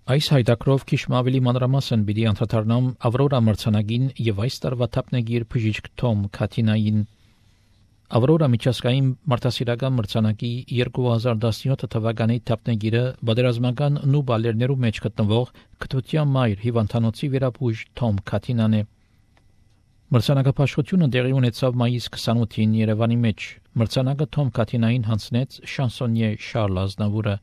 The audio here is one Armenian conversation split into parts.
Այս հայտակրով քիչ ավելի մանրամասն պիտի անդրադառնամ Ավրորա մրցանակին եւ այս տարվա թափնագիր բժիշկ Թոմ Քաթինային։ Ավրորա միջազգային մարդասիրական մրցանակի 2017 թվականի թափնագիրը բادرազմական նուբալերներու մեջ գտնվող Կտության մայր հիվանդանոցի վերապուժ Թոմ Քաթինան է։ Մրցանակապաշխությունը տեղի ունեցավ մայիս 28-ին Երևանի մեջ։ Մրցանակը Թոմ Քաթինային հանձնեց շանսոնյե Շարլ Ազնավուրը։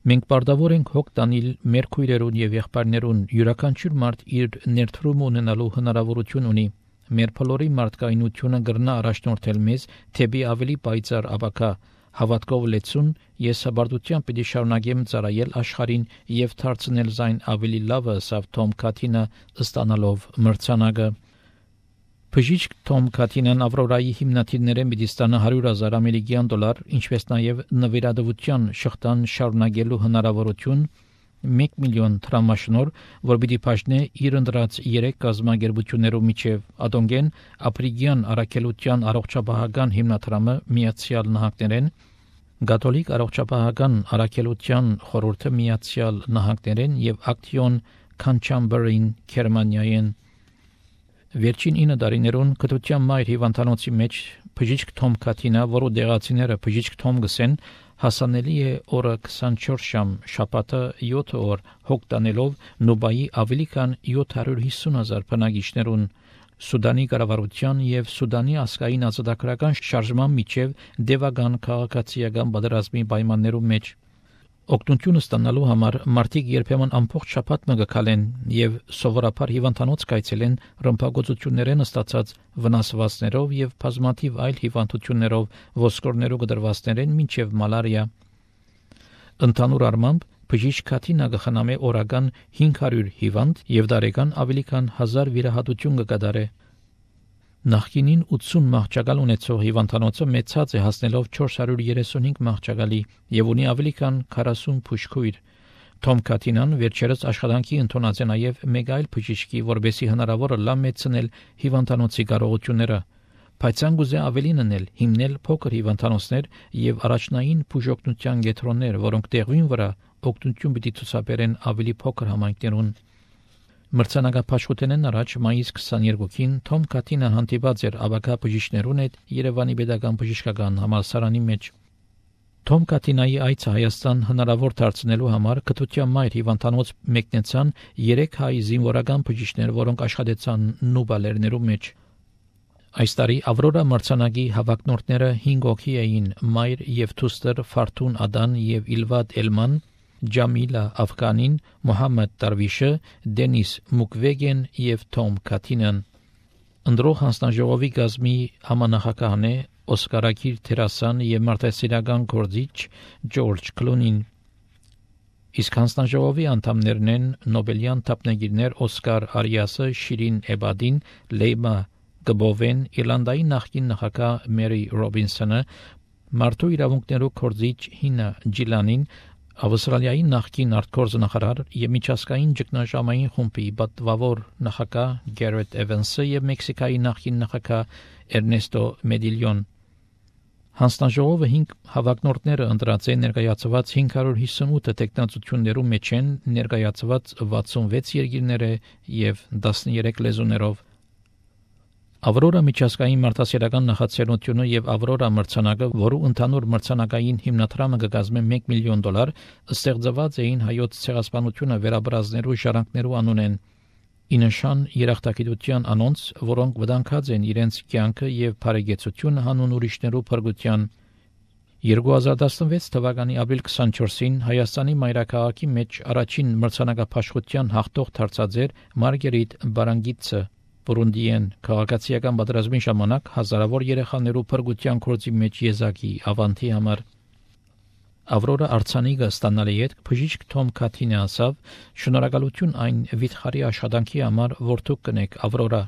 Մենք բարդավոր ենք հոգ տանել մեր քույրերուն եւ եղբայրներուն, յուրաքանչյուր մարդ իր ներդրում ունենալու հնարավորություն ունի։ Մեր բոլորի մարդկայնությունը գրնա առաջնորդել մեզ թեպի ավելի պայծառ ապագա, հավատքով լեցուն, ես հբարտությամբ պիտի շարունակեմ ծառայել աշխարհին եւ դարձնել զայն ավելի լավը, ասավ Թոմ Քաթինը ստանալով մրցանակը։ Բժիշկ Թոմ Քաթինան Ավրորայի հիմնադիրներեն պիտի ստանա $100,000 ամերիկյան դոլար, ինչպես նաև նվիրատվության շղթան շարունակելու հնարավորություն, 1 միլիոն տրամաշնոր, որ պիտի բաժնե իր ընտրած 3 կազմակերպություններով միջև Ադոնգեն, Ապրիգյան առաքելության առողջապահական հիմնադրամը Միացյալ Նահանգներեն, Կաթոլիկ առողջապահական առաքելության խորհուրդը Միացյալ Նահանգներեն եւ Ակտիոն Քանչամբերին Գերմանիայեն։ Վերջին 9 տարիներուն Կտության մայր հիվանդանոցի մեջ բժիշկ Թոմ Քաթինա, որը դեղացիները բժիշկ Թոմ գսեն, հասանելի է օրը 24 ժամ, շաբաթը 7 օր, հոգտանելով Նուբայի ավելի քան 750,000 բնակիչներուն, Սուդանի կառավարության եւ Սուդանի ազգային ազատագրական շարժման միջև դեվական քաղաքացիական պատերազմի պայմաններում մեջ։ Օգնություն ստանալու համար մարդիկ երբեմն ամբողջ շաբաթ մգկալեն եւ սովորաբար հիվանդանոց կայցելեն ռմբակոծություններեն ստացած վնասվածքներով եւ բազմաթիվ այլ հիվանդություններով ոսկորներու գդրվածքներեն մինչեւ մալարիա։ Ընդհանուր առմամբ բժիշկ Քաթինա գխնամե օրական 500 հիվանդ եւ դարեկան ավելի քան 1000 վիրահատություն կկատարե։ Նախկինին 80 մահճակալ ունեցող հիվանդանոցը մեծած է հասնելով 435 մահճակալի եւ ունի ավելի քան 40 բուժքույր։ Թոմ Քաթինան վերջերս աշխատանքի ընդունած է նաեւ մեկ այլ բժիշկի, որբեսի հնարավորը լավ մեծնել հիվանդանոցի կարողությունները։ Բայց անգուզե ավելին անել, հիմնել փոքր հիվանդանոցներ եւ առաջնային բուժօգնության կենտրոններ, որոնք տեղին վրա օգնություն պիտի ցուցաբերեն ավելի փոքր համայնքներուն։ Մրցանակապաշխութենեն առաջ մայիս 22-ին Թոմ Քաթինան հանդիպած էր աբակա բժիշկներուն հետ Երևանի Պետական բժշկական համալսարանի մեջ։ Թոմ Քաթինայի այցը Հայաստան հնարավոր դարձնելու համար Կտության մայր հիվանդանոց մեկնեցան 3 հայ զինվորական բժիշկներ, որոնք աշխատեցան նուբալերներու մեջ։ Այս տարի Ավրորա մրցանակի հավակնորդները 5 հոգի էին՝ մայր եւ դուստր Ֆարթուն Ադան եւ Իլվադ Էլման, Ջամիլա Աֆղանին, Մոհամմեդ Տարվիշը, Դենիս Մուկվեգեն եւ Թոմ Քաթինան։ Ընդրող հանձնաժողովի գազմի համանախագահն է Օսկարակիր Թերասան եւ մարդասիրական գործիչ Ջորջ Կլունին։ Իսկ հանձնաժողովի անդամներն են Նոբելյան թափնագիրներ Օսկար Արիասը, Շիրին Էբադին, Լեյմա Գբովեն, Իռլանդայի նախկին նախագահ Մերի Ռոբինսոնը, մարդու իրավունքներու գործիչ Հինա Ջիլանին, Ավստրալիայի նախկին արտգործնախարար եւ միջազգային ճգնաժամային խումբի պատվավոր նախագահ Գերեթ Էվանսը եւ Մեքսիկայի նախկին նախագահ Էրնեստո Մեդիլյոն։ Հանձնաժողովը 5 հավակնորդները ընտրած են ներկայացված 558 տեխնացություններու մեջ են ներկայացված 66 երկիրները եւ 13 լեզուներով։ Ավրորա միջազգային մարդասիրական նախաձեռնությունը եւ Ավրորա մրցանակը, որու ընդհանուր մրցանակային հիմնադրամը կկազմի $1 միլիոն, ստեղծված էին հայոց ցեղասպանությունը վերաբրազներու ժառանգներու անունեն։ Ինշան երախտագիտության անոնց, որոնք վտանգած են իրենց կյանքը եւ բարեկեցությունը հանուն ուրիշներու փրկության։ 2016 թվականի ապրիլ 24-ին Հայաստանի մայրաքաղաքի մեջ առաջին մրցանակապաշխության հաղթող դարձած էր Մարգերիտ Բարանգիցը, Բուրունդիեն քաղաքացիական պատերազմի ժամանակ հազարավոր երեխաներու փրկության գործի մեջ եզակի ավանդի համար։ Ավրորա արձանիկը ստանալի հետ բժիշկ Թոմ Քաթինը ասավ. «Շնորհակալություն այն վիթխարի աշխատանքի համար, որ դուք կնեք Ավրորա։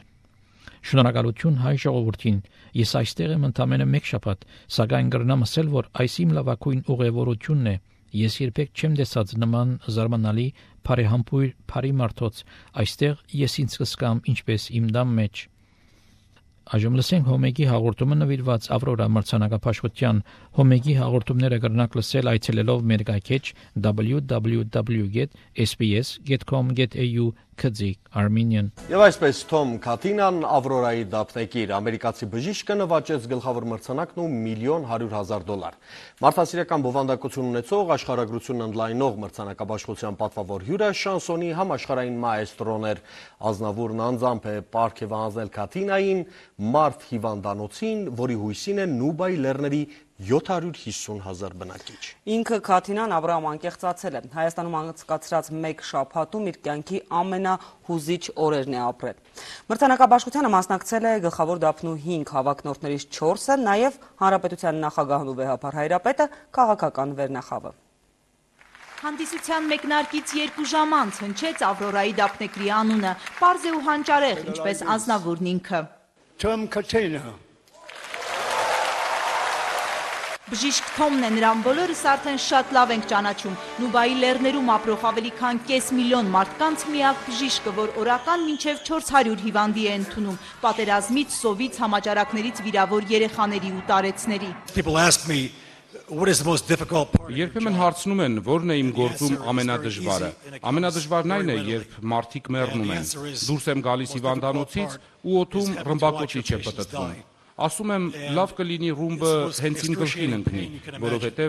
Շնորհակալություն հայ ժողովրդին։ Ես այստեղ եմ ընդամենը 1 շաբաթ, սակայն կրնամ ասել, որ այս իմ լավագույն ուղևորությունն է։ Ես երբեք չեմ տեսած նման զարմանալի բարեհամբույր բարի մարդոց։ Այստեղ ես ինձ կզգամ ինչպես իմ տան մեջ»։ Այժմ լսենք Հոմեգի հաղորդումը նվիրված Ավրորա մրցանակապաշխության։ Հոմեգի հաղորդումները կրնակ լսել այցելելով մեր գայքեջ www.sbs.com.au/Armenian։ Եվ այսպես Թոմ Քաթինան Ավրորայի դափնեկիր ամերիկացի բժիշկը նվաճեց գլխավոր մրցանակն ու $1,100,000։ Մարդասիրական բովանդակություն ունեցող աշխարհագրությունն ընդլայնող մրցանակաբաշխության պատվավոր հյուրը շանսոնի համաշխարհային մաեստրոն էր։ Ազնավուրն անձամբ է պարգևանել Քաթինային մարդ հիվանդանոցին, որի հույսին է Նուբայի լեռների 750,000 բնակիչ։ Ինքը Քաթինան Ավրոյում անկեղծացել է։ Հայաստանում անցկացրած մեկ շաբաթում իր կյանքի ամենահուզիչ օրերն է ապրել։ Մրցանակաբաշխությանը մասնակցել է գլխավոր դափնու 5 հավաքնորդներից 4-ը, նաև Հանրապետության նախագահն ու վեհապար Հայրապետը, քաղաքական վերնախավը։ Հանդիսության մեկնարկից 2 ժամ անց հնչեց Ավրորայի դափնեկրի անունը, պարզ է ու հանճարեղ, ինչպես Ազնավուրն ինքը։ Թոմ Քաթինա։ Բժիշկ Թոմն է, նրան բոլորս արդեն շատ լավ ենք ճանաչում։ Նուբայի լեռներում ապրող ավելի քան կես միլիոն մարդկանց միակ բժիշկը, որ օրական մինչև 400 հիվանդի է ընդունում, պատերազմից, սովից, համաճարակներից վիրավոր երեխաների ու տարեցների։ Երբեմն հարցնում են, որն է իմ գործում ամենադժվարը։ Ամենադժվարն այն է, երբ մարդիկ մեռնում են։ Դուրս եմ գալիս հիվանդանոցից ու օդում ռմբակոծիչ է պտտվում։ Ասում եմ, լավ կլինի ռումբը հենց իմ գլխին ընկնի, որովհետև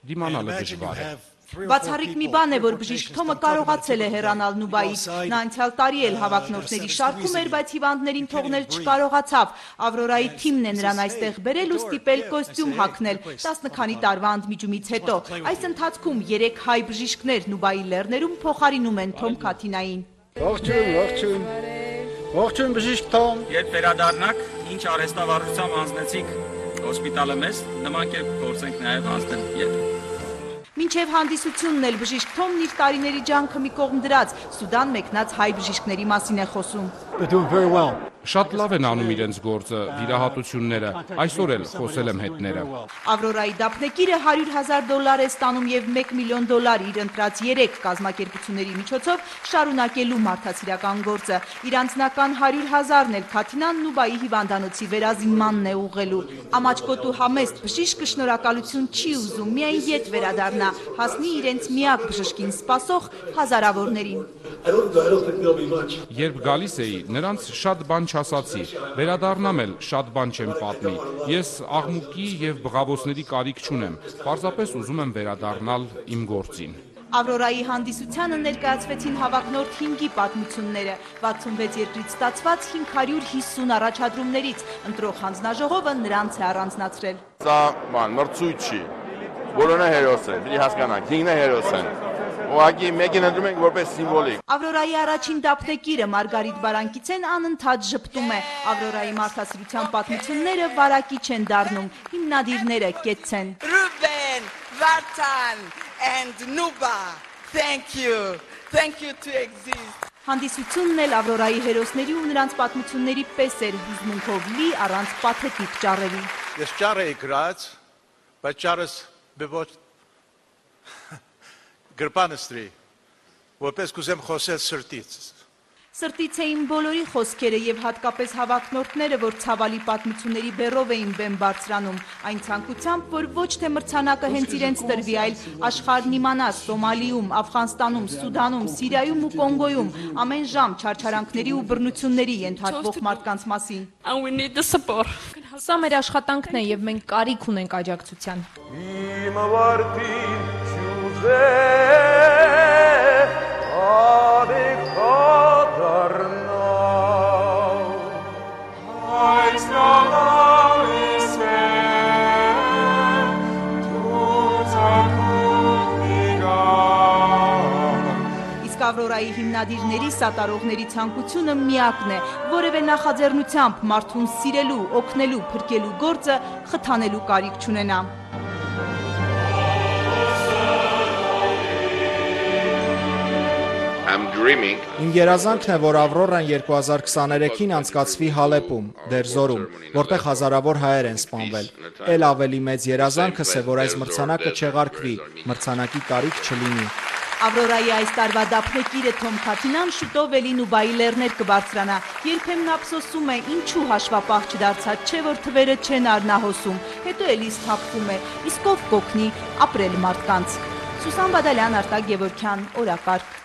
դիմանալը դժվար է։ Բացառիկ մի բան է, որ բժիշկ Թոմը կարողացել է հեռանալ Նուբայից։ Նա անցյալ տարի էլ հավաքնորդների շարքում էր, բայց հիվանդներին թողնել չկարողացավ։ Ավրորայի թիմն է նրան այստեղ բերել ու ստիպել կոստյում հագնել 10 քանի տարվա ընդմիջումից հետո։ Այս ընթացքում 3 հայ բժիշկներ Նուբայի լեռներում փոխարինում են Թոմ Քաթինային։ Ողջույն բժիշկ Թոմ։ Երբ վերադառնաք, ինչ արհեստավարությամբ անցնեցիք հոսպիտալը մեզ, նման կերպ գործենք նաև անցնել ետ։ Մինչև հանդիսությունն էլ բժիշկ Թոմն իր տարիների ջանքը մի կողմ դրած, Սուդան մեկնած հայ բժիշկների մասին է խոսում։ Շատ լավ են անում իրենց գործը, վիրահատությունները, այսօր էլ խոսել եմ հետները։ Ավրորայի դափնեկիրը $100,000 է ստանում և $1 միլիոն իր ընտրած 3 կազմակերպությունների միջոցով շարունակելու մարդասիրական գործը։ Իր անձնական 100,000-ն էլ Քաթինան Նուբայի հիվանդանոցի վերազինմանն է ուղղելու։ Ամաչկոտու համեստ բժիշկը շնորհակալություն չի ուզում, միայն ետ վերադառնա, հասնի իրենց միակ բժշկին սպասող հազարավորներին։ Երբ գալիս էի, նրանց շատ բան չասացի, վերադառնամ էլ շատ բան չեմ պատմի։ Ես աղմուկի և բղավոցների կարիք չունեմ, պարզապես ուզում եմ վերադառնալ իմ գործին։ Ավրորայի հանդիսությանը ներկայացվեցին հավաքնորդ 5-ի պատմությունները, 66 երկրից ստացված 550 առաջադրումներից, ընտրող հանձնաժողովը նրանց է առանձնացրել։ Սա մրցույթ չի, բոլորը հերոս են, պիտի հասկանանք, 5-ն է հերոս են։ Ուղղակի մեկին ընտրում ենք որպես սիմվոլիկ։ Ավրորայի առաջին դափնեկիրը Մարգարիտ Բարանկիցեն անընդհատ ժպտում է։ Ավրորայի մարդասիրության պատմությունները վարակիչ են դառնում, հիմնադիրները կեցցեն։ Ruben, Vartan and Nuba, thank you to exist։ Հանդիսությունն էլ Ավրորայի հերոսների ու նրանց պատմությունների պես էր, հուզմունքով լի, առանց պաթետիկ ճառերի։ Ես ճառ էի գրած, բայց ճառս բևոչ գրպանստրի, որպես կուզեմ խոսել սրտից։ Սրտից էին բոլորի խոսքերը և հատկապես հավաքնորդները, որ ցավալի պատմությունների բեռով էին բեմ բարձրանում, այն ցանկությամբ, որ ոչ թե մրցանակը հենց իրենց տրվի, այլ աշխարհն իմանա Սոմալիում, Աֆղանստանում, Սուդանում, Սիրիայում ու Կոնգոյում ամեն ժամ չարչարանքների ու բռնությունների ենթարկվող մարդկանց մասին։ Սա մեր աշխատանքն է և մենք կարիք ունենք աջակցության։ Ավրորայի հիմնադիրների սատարողների ցանկությունը միակն է, որևէ նախաձեռնությամբ մարդուն սիրելու, օգնելու, փրկելու գործը խթանելու կարիք չունենա։ Իմ երազանքն է, որ Ավրորան 2023-ին անցկացվի Հալեպում, Դերզորում, որտեղ հազարավոր հայեր են սպանվել։ Էլ ավելի մեծ երազանքս է, որ այս մրցանակը չեղարկվի, մրցանակի կարիք չլինի։ Ավրորայի այս տարվա դափնեկիրը Թոմ Քաթինան շուտով էլի Նուբայի լեռներ կբարձրանա։ Երբեմն ափսոսում է, ինչու հաշվապահ չդարձած, չէ որ թվերը չեն առնահոսում, հետո էլի սթափվում է, իսկ ով կօգնի ապրել մարդկանց։ Սուսան Բադալյան, Արտակ Գևորգյան, օրակարգ։